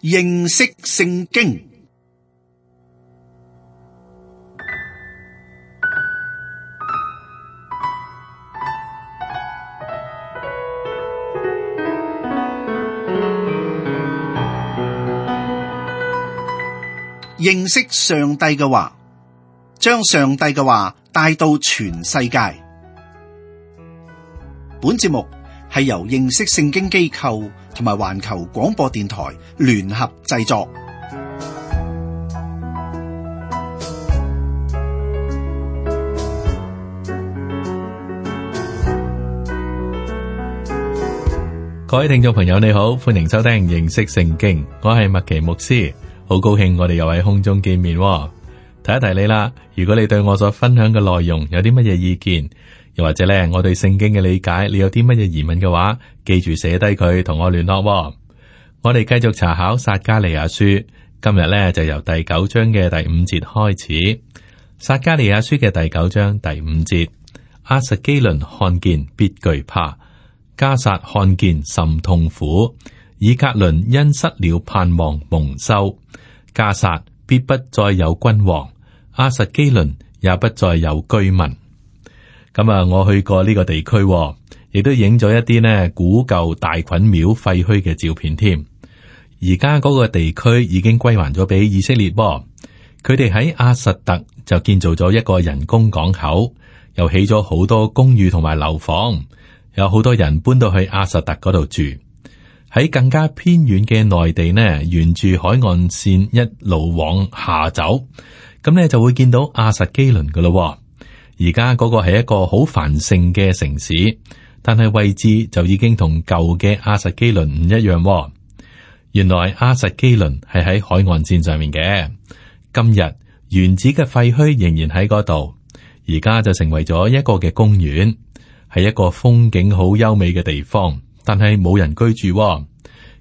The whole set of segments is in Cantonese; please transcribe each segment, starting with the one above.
認識聖經。認識上帝嘅話，將上帝嘅話帶到全世界。本節目係由認識聖經機構同埋環球廣播電台聯合製作。各位聽眾朋友，你好，歡迎收聽認識聖經，我係麥奇牧師。好高興我哋又喺空中見面喎。提一提你啦，如果你對我所分享嘅內容有啲乜嘢意見，又或者咧我對聖經嘅理解，你有啲乜嘢疑問嘅話，記住寫低佢同我聯絡喎。我哋繼續查考撒迦利亞書，今日咧就由第9章嘅第5節開始。撒迦利亞書嘅第9章第5節，亞實基倫看見必懼怕，迦薩看見甚痛苦，以革倫因失了盼望蒙羞。迦薩必不再有君王，亞實基倫也不再有居民。咁我去過呢個地區，亦都影咗一啲呢古舊大袞廟廢墟嘅照片添。而家嗰個地區已經歸還咗俾以色列噃。佢哋喺亞實特就建造咗一個人工港口，又起咗好多公寓同埋樓房，有好多人搬到去亞實特嗰度住。喺更加偏遠嘅內地呢，沿住海岸線一路往下走，咁呢就會見到亞實基倫噶咯。而家嗰個係一個好繁盛嘅城市，但係位置就已經同舊嘅亞實基倫唔一樣。原來亞實基倫係喺海岸線上面嘅，今日原址嘅廢墟仍然喺嗰度，而家就成為咗一個嘅公園，係一個風景好優美嘅地方。但係冇人居住，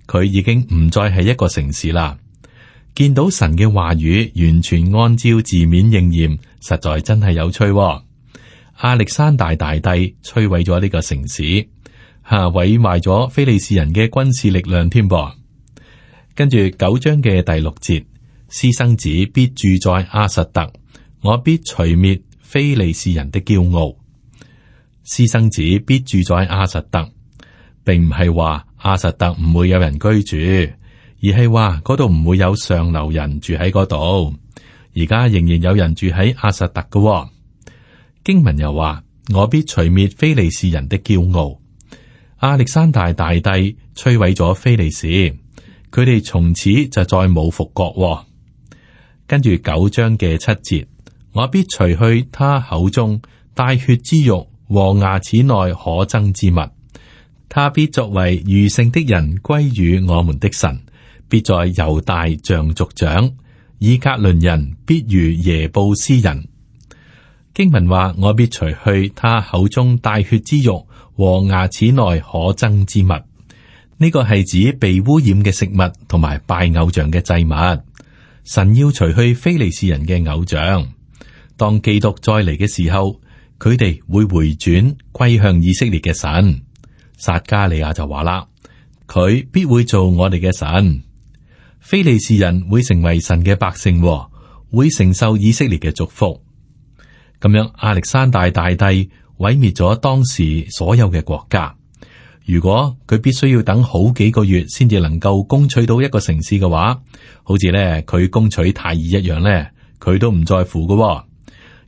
佢已經唔再係一個城市啦。見到神嘅話語完全按照字面應驗，實在真係有趣。亞歷山大大帝摧毀咗呢個城市，毀壞咗非利士人嘅軍事力量添噃。跟住9章嘅第6節，私生子必住在亞實特，我必除滅非利士人的驕傲。私生子必住在亞實特，並唔係話亞實特唔會有人居住，而係話嗰度唔會有上流人住喺嗰度。而家仍然有人住喺亞實特嘅。經文又話，我必除滅非利士人的驕傲。亞歷山大大帝摧毀咗非利士，佢哋從此就再冇復國。跟住9章嘅7節，我必除去他口中帶血之肉和牙齒內可憎之物。他必作為餘剩的人歸於我們的神，必在猶大像族長，以革倫人必如耶布斯人。經文話，我必除去他口中帶血之肉和牙齒內可憎之物。呢個係指被污染嘅食物同埋拜偶像嘅祭物。神要除去非利士人嘅偶像。當基督再嚟嘅時候，佢哋會回轉歸向以色列嘅神。撒迦利亞就話啦，佢必會做我哋嘅神，非利士人會成為神嘅百姓，會承受以色列嘅祝福。咁樣，亞歷山大大帝毀滅咗當時所有嘅國家。如果佢必須要等好幾個月先至能夠攻取到一個城市嘅話，好似咧佢攻取泰爾一樣咧，佢都唔在乎嘅，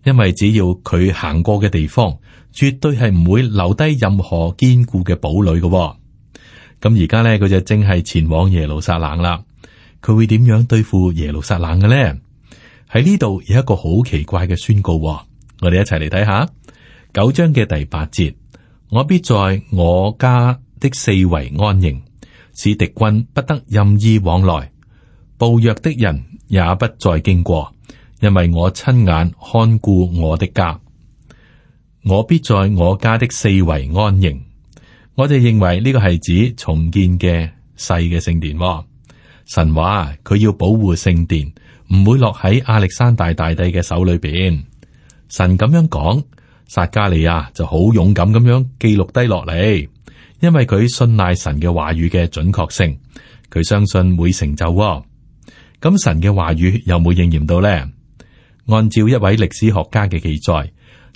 因為只要佢行過嘅地方，絕對係唔會留低任何堅固嘅堡壘嘅。咁而家咧，佢就正係前往耶路撒冷啦。佢會點樣對付耶路撒冷嘅咧？喺呢度有一個好奇怪嘅宣告，我哋一齊嚟睇下9章嘅第8節。我必在我家的四圍安營，使敵軍不得任意往來，暴虐的人也不再經過，因為我親眼看顧我的家。我必在我家的四圍安營。我哋認為呢個係指重建嘅細嘅聖殿。神話佢要保護聖殿，唔會落喺亞歷山大大帝嘅手裏邊。神咁樣講，撒迦利亞就好勇敢咁樣記錄低落嚟，因為佢信賴神嘅話語嘅準確性，佢相信會成就喎。咁神嘅話語有冇應驗到呢？按照一位歷史學家嘅記載，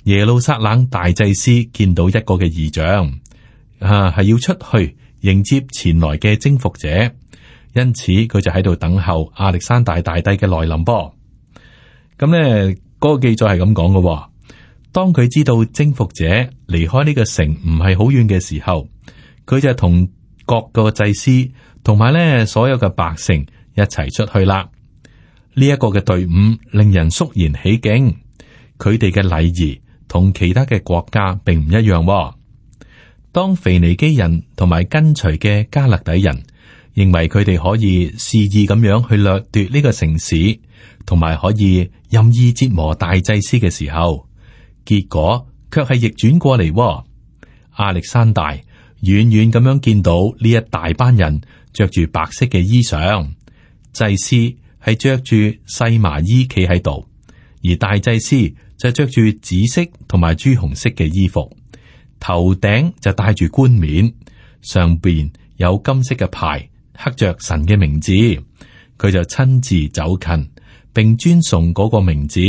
耶路撒冷大祭司見到一個嘅異象，係要出去迎接前來嘅征服者，因此佢就喺度等候亞歷山大大帝嘅來臨噃。咁呢嗰個記載係咁講嘅，當佢知道征服者離開呢個城唔係好遠嘅時候，佢就同各個祭司同埋呢所有嘅百姓一齊出去啦。呢一個嘅隊伍令人肅然起敬，佢哋嘅禮儀同其他嘅國家並唔一樣。當腓尼基人同埋跟隨嘅加勒底人認為佢哋可以肆意咁樣去掠奪呢個城市，同埋可以任意折磨大祭司嘅時候，結果卻係逆轉過嚟。亞歷山大遠遠咁樣見到呢一大班人着住白色嘅衣裳，祭司係着住細麻衣企喺度，而大祭司就着住紫色同埋朱紅色嘅衣服，頭頂就戴住冠冕，上邊有金色嘅牌，刻着神嘅名字。佢就親自走近，並尊崇嗰個名字，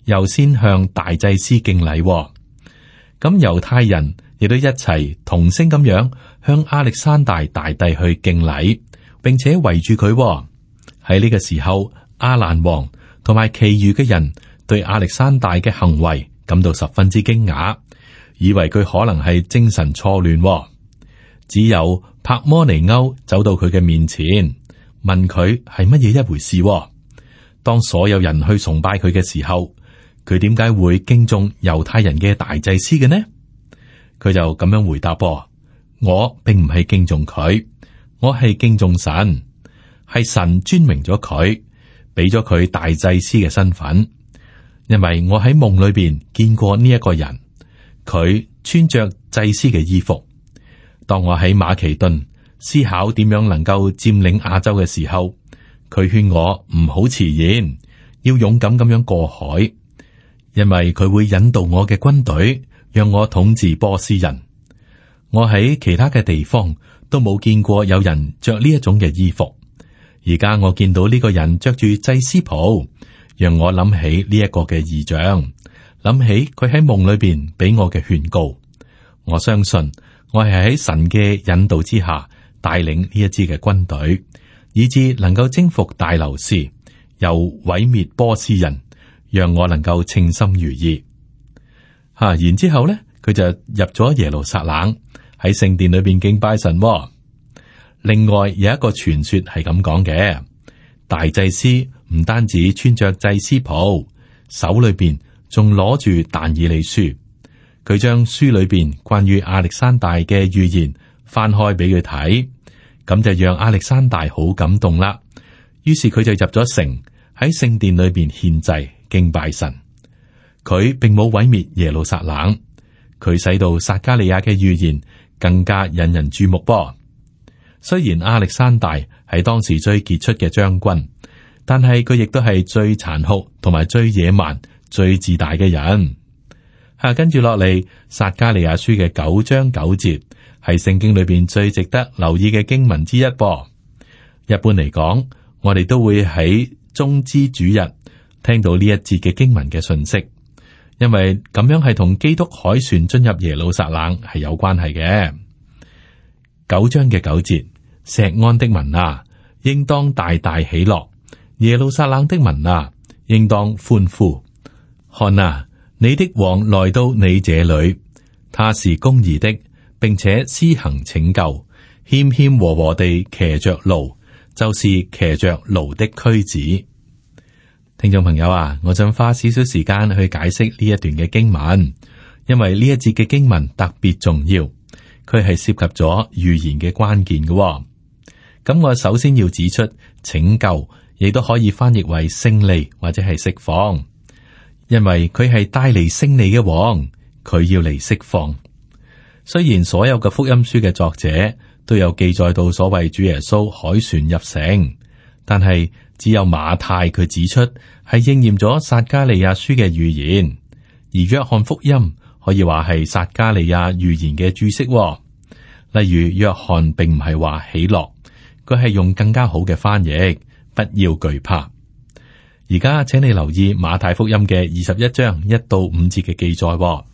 又先向大祭司敬禮。咁猶太人亦都一齊同聲咁樣向亞歷山大大帝去敬禮，並且圍住佢。喺呢個時候，亞蘭王同埋其餘嘅人對亞歷山大嘅行為感到十分之驚訝，以為佢可能係精神錯亂。只有帕摩尼歐走到佢嘅面前，問佢係乜嘢一回事。當所有人去崇拜佢嘅時候，佢點解會敬重猶太人嘅大祭司嘅呢？佢就咁樣回答：我並唔係敬重佢，我係敬重神，係神尊明咗佢，俾咗佢大祭司嘅身份。因為我喺夢裏邊見過呢一個人，佢穿着祭司嘅衣服。當我喺馬其頓思考點樣能夠佔領亞洲嘅時候，佢勸我唔好遲延，要勇敢咁樣過海，因為佢會引導我嘅軍隊，讓我統治波斯人。我喺其他嘅地方都冇見過有人着呢一種嘅衣服，而家我見到呢個人着住祭司袍，讓我諗起呢一個嘅異象，諗起佢喺夢裏邊俾我嘅勸告。我相信我係喺神嘅引導之下帶領呢一支嘅軍隊，以致能夠征服大流士，又毀滅波斯人，讓我能夠稱心如意。然之後咧，佢就入咗耶路撒冷，喺聖殿裏邊敬拜神。另外有一個傳說係咁講嘅，大祭司唔單止穿着祭司袍，手裏邊仲攞住但以理書。佢將書裏邊關於亞歷山大嘅預言翻開俾佢睇，咁就讓亞歷山大好感動啦。於是佢就入咗城，喺聖殿裏邊獻祭敬拜神。佢並冇毀滅耶路撒冷，佢使到撒迦利亞嘅預言更加引人注目噃。雖然亞歷山大係當時最傑出嘅將軍，但係佢亦都係最殘酷同埋最野蠻、最自大嘅人。跟住落嚟，撒迦利亞書嘅9章9節係聖經裏邊最值得留意嘅經文之一噃。一般嚟講，我哋都會喺棕枝主日聽到呢一節嘅經文嘅信息，因為咁樣係同基督凱旋進入耶路撒冷係有關係嘅。9章嘅9節，錫安的民啊，應當大大喜樂；耶路撒冷的民啊，應當歡呼。看啊，你的王來到你這裏，他是公義的，並且施行拯救，謙謙和和地騎着驢，就是騎着驢的駒子。聽眾朋友啊，我想花少少時間去解釋呢一段嘅經文，因為呢一節嘅經文特別重要，佢係涉及咗預言嘅關鍵嘅。咁我首先要指出，拯救亦都可以翻譯為勝利或者係釋放。因為佢係帶嚟勝利嘅王，佢要嚟釋放。雖然所有嘅福音書嘅作者都有記載到所謂主耶穌凱旋入城，但係只有馬太佢指出係應驗咗撒迦利亞書嘅預言，而約翰福音可以話係撒迦利亞預言嘅注釋。例如約翰並唔係話喜樂，佢係用更加好嘅翻譯，不要懼怕。而家請你留意馬太福音嘅21章1到5節嘅記載，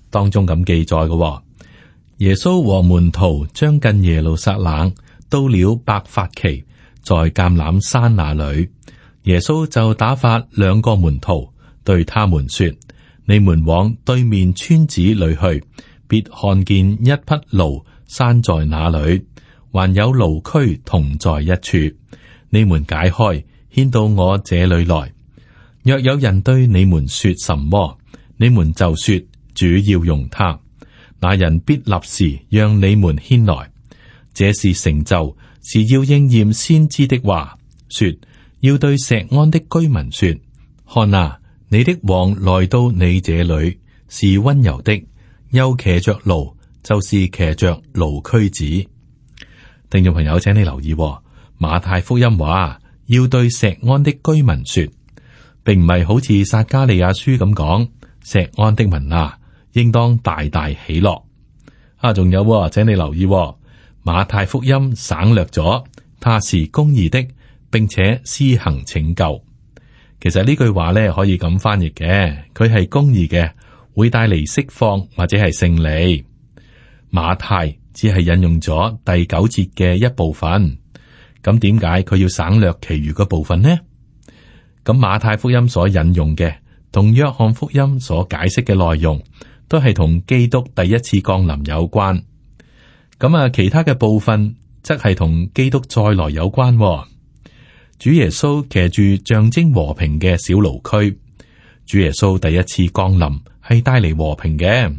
當中咁記載嘅，耶穌和門徒將近耶路撒冷，到了伯法其，在橄欖山那裏，耶穌就打發2個門徒，對他們說：你們往對面村子裏去，必看見一匹驢拴在那裏，還有驢駒同在一處，你們解開，牽到我這裏來。若有人對你們說什麼，你們就說主要用他，那人必立時讓你們牽來。這是成就，是要應驗先知的話，說要對錫安的居民說：看啊，你的王來到你這裏，是溫柔的，又騎着驢，就是騎着驢駒子。聽眾朋友，請你留意，馬太福音話要對錫安的居民說，並唔係好似撒迦利亞書咁講，錫安的民啊，應當大大喜樂。仲有，請你留意，馬太福音省略咗，他是公義的，並且施行拯救。其實呢句話咧可以咁翻譯嘅，佢係公義嘅，會帶嚟釋放或者係勝利。馬太只係引用咗第9節嘅一部分，咁點解佢要省略其餘嘅部分呢？咁馬太福音所引用嘅，同約翰福音所解釋嘅內容，都係同基督第一次降臨有關。咁其他嘅部分則係同基督再來有關。主耶穌騎住象徵和平嘅小驢駒，主耶穌第一次降臨係帶嚟和平嘅。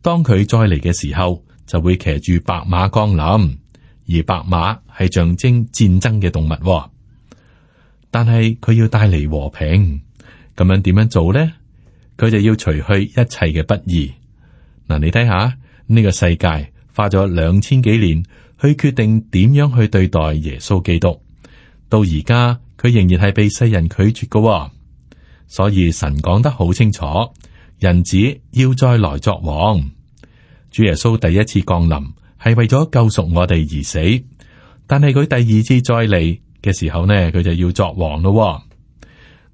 當佢再嚟嘅時候，就會騎住白馬降臨，而白馬係象徵戰爭嘅動物。但係佢要帶嚟和平，咁樣點樣做呢？佢就要除去一切嘅不義。嗱，你睇下呢個世界花咗2000幾年去決定點樣去對待耶穌基督，到而家佢仍然係被世人拒絕嘅。所以神講得好清楚，人子要再來作王。主耶穌第一次降臨係為咗救贖我哋而死，但係佢第二次再嚟嘅時候呢，佢就要作王咯。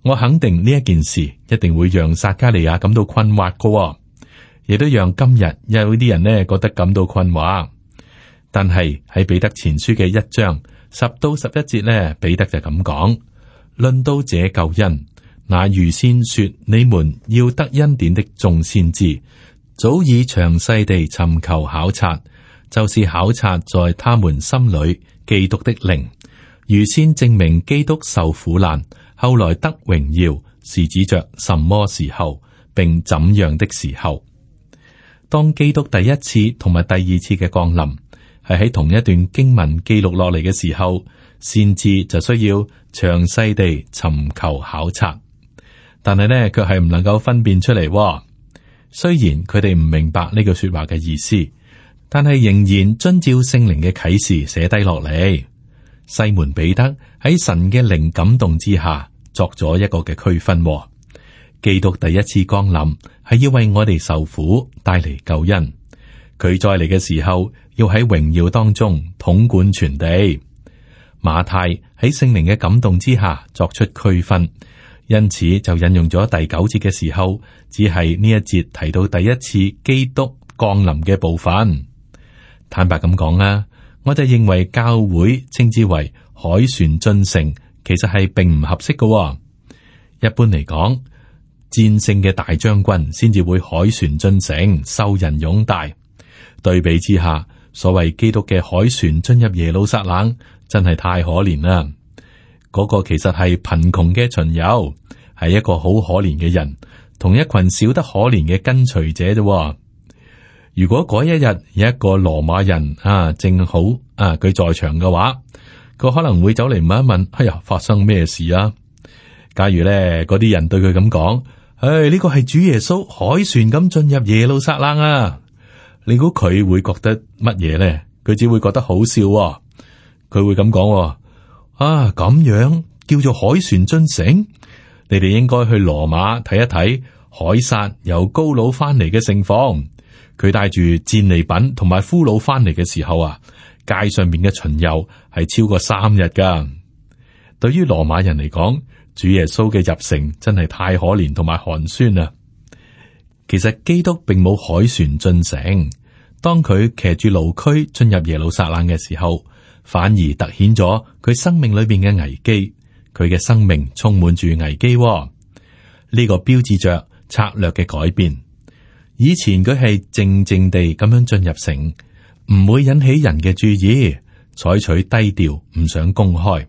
我肯定呢一件事一定會讓撒迦利亞感到困惑嘅，亦都讓今日有啲人呢覺得感到困惑。但係喺彼得前書嘅1章10到11節呢，彼得就咁講：論到這救恩，那預先說你們要得恩典的眾先知，早已詳細地尋求考察，就是考察在他們心裏基督的靈，預先證明基督受苦難，後來得榮耀，是指着什麼時候，並怎樣的時候。當基督第一次同埋第二次嘅降臨係喺同一段經文記錄落嚟嘅時候，先知就需要詳細地尋求考察，但係呢，卻係唔能夠分辨出嚟。雖然佢哋唔明白呢句說話嘅意思，但係仍然遵照聖靈嘅啟示寫低落嚟。西門彼得喺神嘅靈感動之下，作咗一個嘅區分。基督第一次降臨係要為我哋受苦，帶嚟救恩。佢再嚟嘅時候，要喺榮耀當中統管全地。馬太喺聖靈嘅感動之下作出區分，因此就引用咗第9節嘅時候，只係呢一節提到第一次基督降臨嘅部分。坦白咁講啦，我就認為教會稱之為凱旋進城，其實係並唔合適嘅。一般嚟講，戰勝嘅大將軍先至會凱旋進城，受人擁戴。對比之下，所謂基督嘅凱旋進入耶路撒冷，真係太可憐啦。嗰個其實係貧窮嘅巡遊，係一個好可憐嘅人，同一群少得可憐嘅跟隨者啫。如果嗰一日有一個羅馬人正好佢在場嘅話，佢可能會走嚟問一問：哎呀，發生咩事啊？假如咧嗰啲人對佢咁講：呢個係主耶穌凱旋咁進入耶路撒冷啊！你估佢會覺得乜嘢咧？佢只會覺得好笑。佢會咁講：咁樣叫做凱旋進城？你哋應該去羅馬睇一睇凱撒由高盧翻嚟嘅盛況。佢帶住戰利品同埋俘虜翻嚟嘅時候，街上面嘅巡遊係超過3日噶。對於羅馬人嚟講，主耶穌嘅入城真係太可憐同埋寒酸啦。其實基督並冇凱旋進城，當佢騎住驢駒進入耶路撒冷嘅時候，反而凸顯咗佢生命裏邊嘅危機。佢嘅生命充滿住危機，呢個標誌着策略嘅改變。以前佢係靜靜地咁樣進入城，唔會引起人嘅注意，採取低調，唔想公開。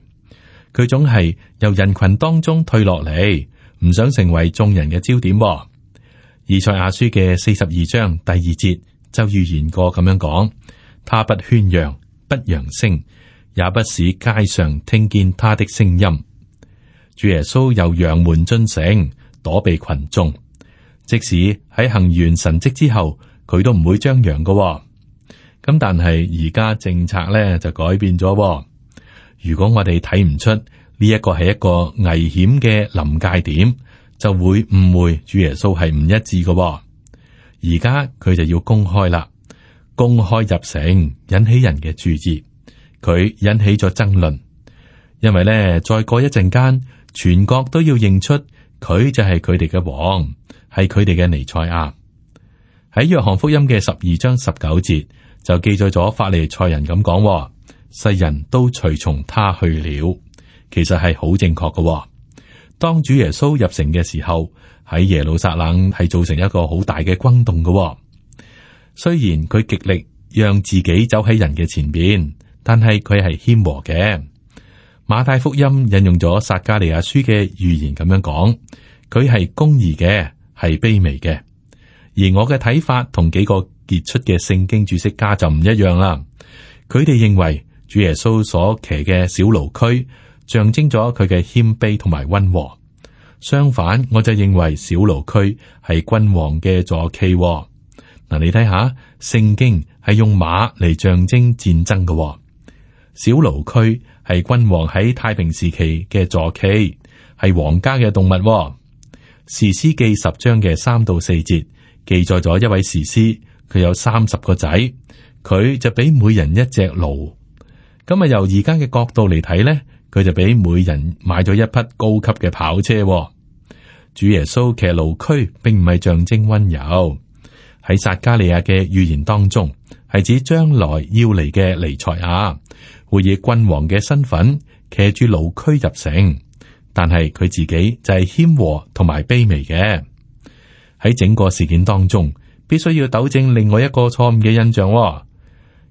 佢總係由人群當中退落嚟，唔想成為眾人嘅焦點。以賽亞書嘅42章第2節就預言過咁樣講：他不喧嚷，不揚聲，也不使街上聽見他的聲音。主耶穌由羊門進城，躲避群眾，即使喺行完神蹟之後，佢都唔會張揚嘅。咁但係而家政策咧就改變咗。如果我哋睇唔出呢一個係一個危險嘅臨界點，就會誤會主耶穌係唔一致嘅。而家佢就要公開啦，公開入城，引起人嘅注意。佢引起咗爭論，因為咧再過一陣間，全國都要認出佢就係佢哋嘅王，係佢哋嘅彌賽亞。喺約翰福音嘅12章19節就記載咗法利賽人咁講：世人都隨從他去了。其實係好正確嘅。當主耶穌入城嘅時候，喺耶路撒冷係造成一個好大嘅轟動嘅。雖然佢極力讓自己走喺人嘅前邊，但係佢係謙和嘅。馬太福音引用咗撒迦利亞書嘅預言咁樣講，佢係公義嘅，係卑微嘅。而我嘅睇法同幾個傑出嘅聖經注釋家就唔一樣啦。佢哋認為主耶穌所騎嘅小驢駒象徵咗佢嘅謙卑同埋溫和。相反，我就認為小驢駒係君王嘅坐騎。嗱，你睇下，聖經係用馬嚟象徵戰爭嘅。小驢駒係君王喺太平時期嘅坐騎，係皇家嘅動物。士師記10章嘅3到4節記載咗一位士師，佢有30個仔，佢就俾每人一隻驢。咁啊，由而家嘅角度嚟睇咧，佢就俾每人買咗一匹高級嘅跑車。主耶穌騎驢駒並唔係象徵溫柔。喺撒迦利亞嘅預言當中，係指將來要嚟嘅彌賽亞會以君王嘅身份騎住驢駒入城，但係佢自己就係謙和同埋卑微嘅。喺整個事件當中，必須要糾正另外一個錯誤嘅印象。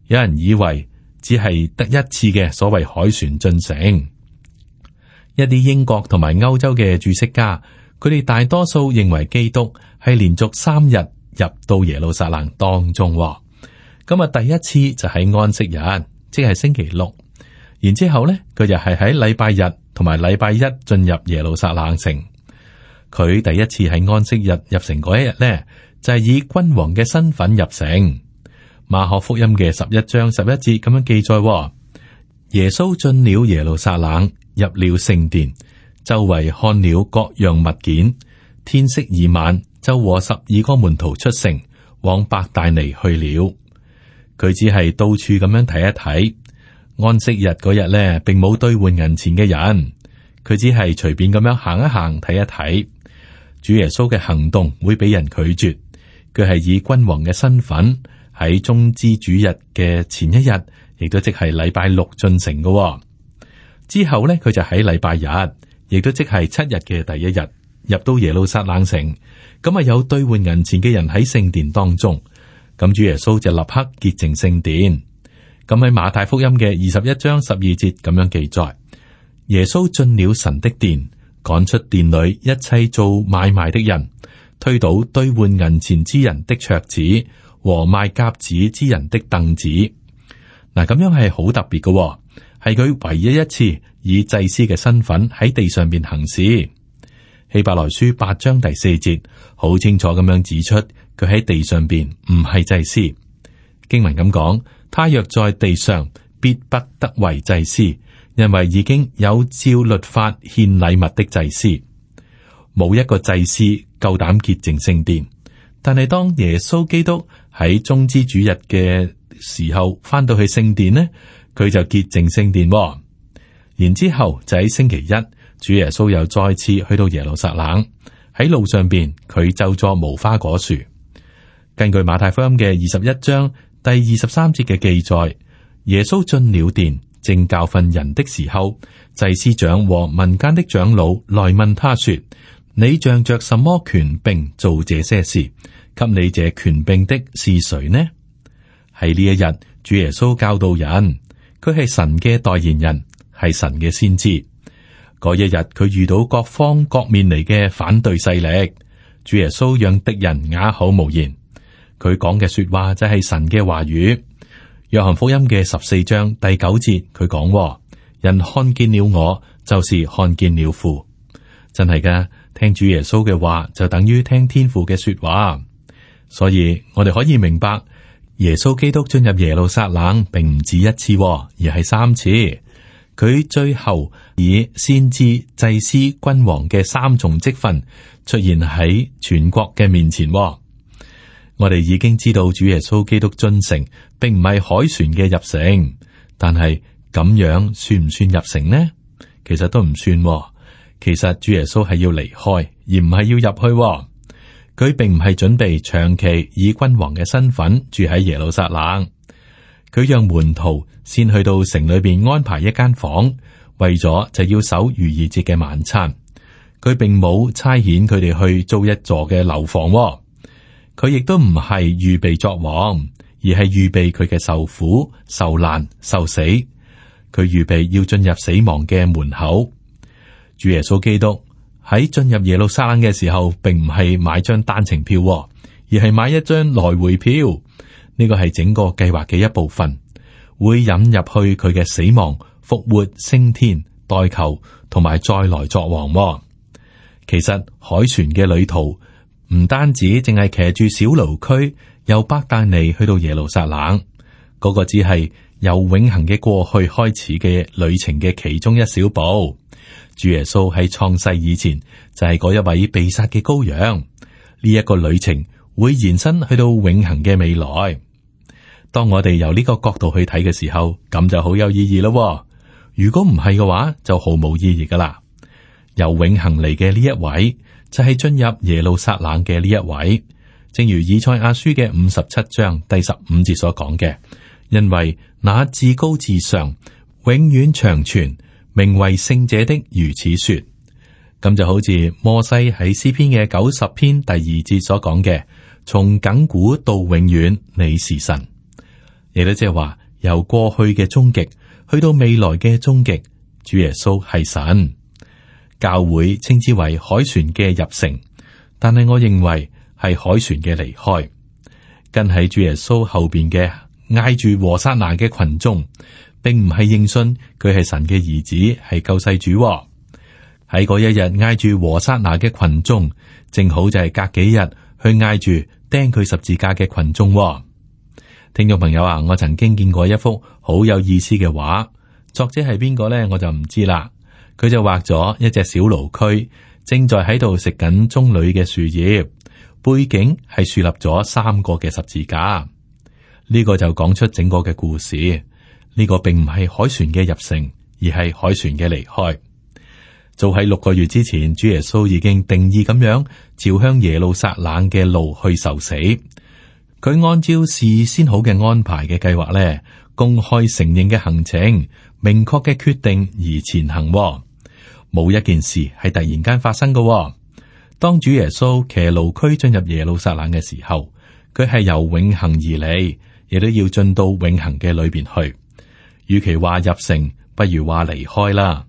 有人以為只係得一次嘅所謂凱旋進城。一啲英國同埋歐洲嘅注釋家，佢哋大多數認為基督係連續3日入到耶路撒冷當中。咁啊，第一次就喺安息日，即係星期六。然之後咧，佢就係喺禮拜日同埋禮拜一進入耶路撒冷城。佢第一次喺安息日入城嗰一日咧，就係以君王嘅身份入城。馬可福音嘅11章11節咁樣記載：耶穌進了耶路撒冷，入了聖殿，周圍看了各樣物件。天色已晚，就和12個門徒出城，往伯大尼去了。佢只係到處咁樣睇一睇。安息日嗰日咧，並冇兌換銀錢嘅人，佢只係隨便咁樣行一行睇一睇。主耶穌嘅行動會俾人拒絕，佢係以君王嘅身份喺棕枝主日嘅前一日，亦都即係禮拜6進城嘅。之後咧，佢就喺禮拜日，亦都即係7日嘅第一日，入到耶路撒冷城。咁啊，有兌換銀錢嘅人喺聖殿當中，咁主耶穌就立刻潔淨聖殿。咁喺馬太福音嘅21章12節咁樣記載：耶穌進了神的殿，趕出殿裏一切做買賣的人，推倒兌換銀錢之人的桌子和賣鴿子之人的凳子。嗱，咁樣係好特別嘅，係佢唯一一次以祭司嘅身份喺地上邊行事。希伯來書8章第4節好清楚咁樣指出，佢喺地上邊唔係祭司。經文咁講，他若在地上，必不得為祭司，因為已經有照律法獻禮物的祭司。冇一個祭司夠膽潔淨聖殿，但係當耶穌基督喺棕枝主日嘅時候翻到去聖殿呢，佢就潔淨聖殿。然之後就喺星期一，主耶穌又再次去到耶路撒冷，喺路上邊佢就坐無花果樹。根據馬太福音嘅21章第23節嘅記載，耶穌進了殿，正教訓人的時候，祭司長和民間的長老來問他說：你仗着什麼權柄做這些事？給你這權柄的是誰呢？喺呢一日，主耶穌教導人，佢係神嘅代言人，係神嘅先知。嗰一日，佢遇到各方各面嚟嘅反對勢力，主耶穌讓敵人啞口無言。佢講嘅說話就係神嘅話語。約翰福音嘅14章第9節，佢講：人看見了我，就是看見了父。真係噶，聽主耶穌嘅話就等於聽天父嘅說話。所以我哋可以明白，耶穌基督進入耶路撒冷並唔止一次，而係3次。佢最後以先知、祭司、君王嘅3重職分出現喺全國嘅面前。我哋已經知道主耶穌基督進城，並唔係凱旋嘅入城，但係咁樣算唔算入城呢？其實都唔算。其實主耶穌係要離開，而唔係要入去。佢並唔係準備長期以君王嘅身份住喺耶路撒冷。佢讓門徒先去到城裏邊安排一間房，為咗就要守逾越節嘅晚餐。佢並冇差遣佢哋去租一座嘅樓房。佢亦都唔係預備作王，而係預備佢嘅受苦、受難、受死。佢預備要進入死亡嘅門口。主耶穌基督喺進入耶路撒冷嘅時候，並唔係買張單程票，而係買一張來回票。呢個係整個計劃嘅一部分，會引入去佢嘅死亡、復活、升天、代求同埋再來作王。其實凱旋嘅旅途唔單止淨係騎住小驢駒由伯大尼去到耶路撒冷，嗰個只係由永恆嘅過去開始嘅旅程嘅其中一小步。主耶穌喺創世以前就係嗰一位被殺嘅羔羊。呢一個旅程會延伸去到永恆嘅未來。當我哋由呢個角度去睇嘅時候，咁就好有意義咯。如果唔係嘅話，就毫無意義噶啦。由永恆嚟嘅呢一位，就係進入耶路撒冷嘅呢一位。正如以賽亞書嘅57章第15節所講嘅，因為那至高至上、永遠長存、名為聖者的如此說。咁就好似摩西喺詩篇嘅90篇第2節所講嘅，從亙古到永遠，你是神。亦都即係話，由過去嘅終極去到未來嘅終極，主耶穌係神。教會稱之為凱旋嘅入城，但係我認為係凱旋嘅離開。跟喺主耶穌後邊嘅挨住和散那嘅群眾，並唔係認信佢係神嘅兒子，係救世主。喺嗰一日挨住和散那嘅群眾，正好就係隔幾日去挨住釘佢十字架嘅群眾。聽眾朋友啊，我曾經見過一幅好有意思嘅畫，作者係邊個呢？我就唔知啦。佢就畫咗一隻小驢駒，正在喺度食緊棕櫚嘅樹葉，背景係豎立咗3個嘅十字架。呢個就講出整個嘅故事。呢個並唔係凱旋嘅入城，而係凱旋嘅離開。早喺6個月之前，主耶穌已經定義咁樣朝向耶路撒冷嘅路去受死。佢按照事先好嘅安排嘅計劃咧，公開承認嘅行程，明確嘅決定而前行。冇一件事係突然間發生嘅。當主耶穌騎驢駒進入耶路撒冷嘅時候，佢係由永恆而嚟，亦都要進到永恆嘅裏邊去。與其話入城，不如話離開啦。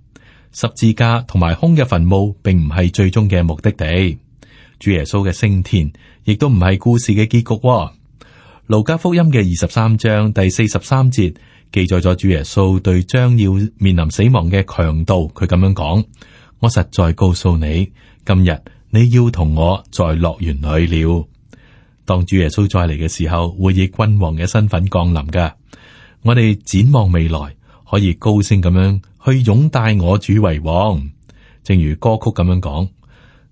十字架同埋空嘅墳墓，並唔係最終嘅目的地。主耶穌嘅升天，亦都唔係故事嘅結局。路加福音嘅23章第43節記載咗主耶穌對將要面臨死亡嘅強盜，佢咁樣講：我實在告訴你，今日你要同我在樂園裏了。當主耶穌再嚟嘅時候，會以君王嘅身份降臨㗎。我哋展望未來，可以高聲咁樣去擁戴我主為王，正如歌曲咁樣講：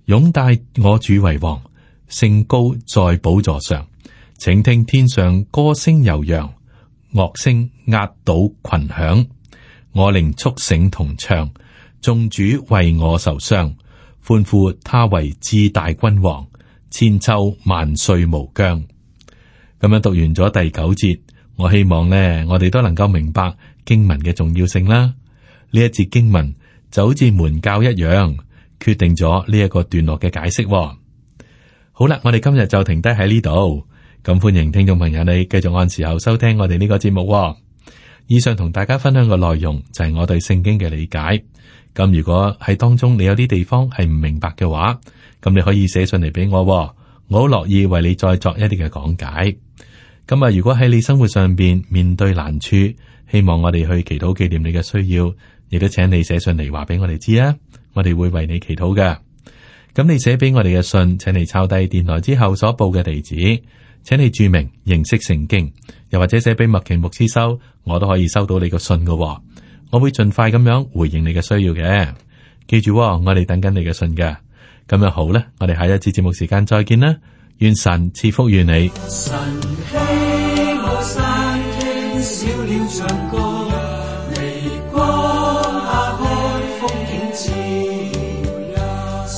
擁戴我主為王，升高在寶座上。請聽天上歌聲悠揚，樂聲壓倒群響。我靈速醒同唱，眾主為我受傷，歡呼他為至大君王，千秋萬歲無疆。咁樣讀完咗第9節，我希望呢，我哋都能夠明白經文嘅重要性啦。呢一節經文就好似門教一樣，決定咗呢一個段落嘅解釋。好啦，我哋今日就停低喺呢度。咁歡迎聽眾朋友你繼續按時候收聽我哋呢個節目。以上同大家分享嘅內容就係我對聖經嘅理解。咁如果喺當中你有啲地方係唔明白嘅話，咁你可以寫信嚟俾我，我好樂意為你再作一啲嘅講解。咁啊，如果喺你生活上邊面對難處，希望我哋去祈禱紀念你嘅需要，亦都請你寫信嚟話俾我哋知啊，我哋會為你祈禱嘅。咁你寫俾我哋嘅信，請你抄低電台之後所報嘅地址，請你注明認識聖經，又或者寫俾麥奇牧師收，我都可以收到你個信嘅。我會盡快咁樣回應你嘅需要嘅。記住，我哋等緊你嘅信嘅。咁樣好啦，我哋下一次節目時間再見啦。願神賜福於你。神希我山傾小鳥唱歌，微光打開風景照，神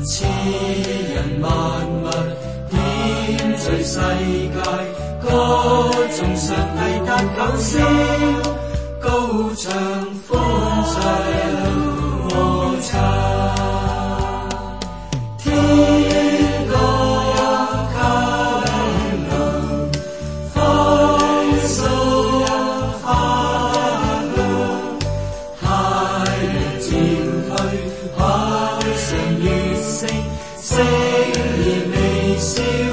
賜人萬物點綴世界，歌頌上帝得救燒，高唱歡唱和唱。星兒微笑。